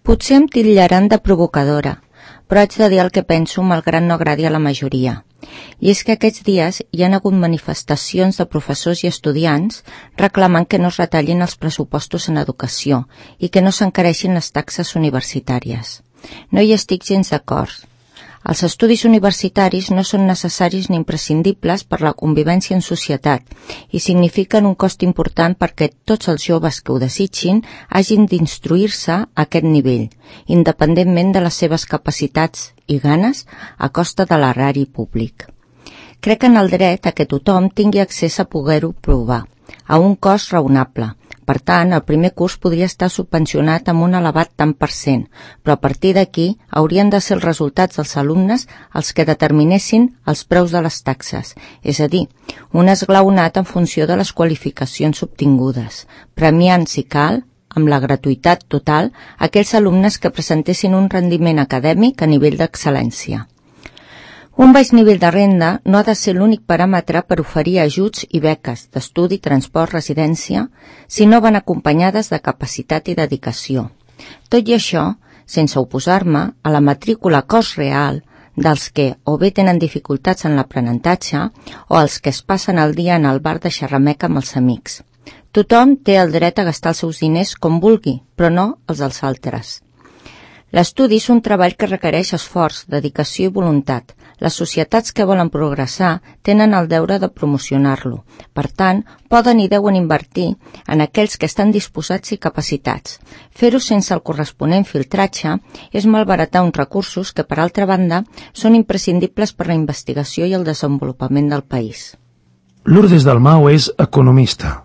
Potser em titllaran de provocadora, però haig de dir el que penso malgrat no agradi a la majoria. I és que aquests dies hi ha hagut manifestacions de professors i estudiants reclamant que no es retallin els pressupostos en educació i que no s'encareixin les taxes universitàries. No hi estic gens d'acord. Els estudis universitaris no són necessaris ni imprescindibles per la convivència en societat i signifiquen un cost important perquè tots els joves que ho desitgin hagin d'instruir-se a aquest nivell, independentment de les seves capacitats i ganes a costa de l'erari públic. Crec en el dret a que tothom tingui accés a poder-ho provar, a un cost raonable. Per tant, el primer curs podria estar subvencionat amb un elevat tant per cent, però a partir d'aquí haurien de ser els resultats dels alumnes els que determinessin els preus de les taxes, és a dir, un esglaonat en funció de les qualificacions obtingudes, premiant, si cal, amb la gratuïtat total, aquells alumnes que presentessin un rendiment acadèmic a nivell d'excel·lència. Un baix nivell de renda no ha de ser l'únic paràmetre per oferir ajuts i beques d'estudi, transport, residència, si no van acompanyades de capacitat i dedicació. Tot i això, sense oposar-me a la matrícula a cost real dels que o bé tenen dificultats en l'aprenentatge o els que es passen el dia en el bar de xerrameca amb els amics. Tothom té el dret a gastar els seus diners com vulgui, però no els dels altres. L'estudi és un treball que requereix esforç, dedicació i voluntat. Les societats que volen progressar tenen el deure de promocionar-lo. Per tant, poden i deuen invertir en aquells que estan disposats i capacitats. Fer-ho sense el corresponent filtratge és malbaratar uns recursos que, per altra banda, són imprescindibles per la investigació i el desenvolupament del país. Lourdes Dalmau és economista.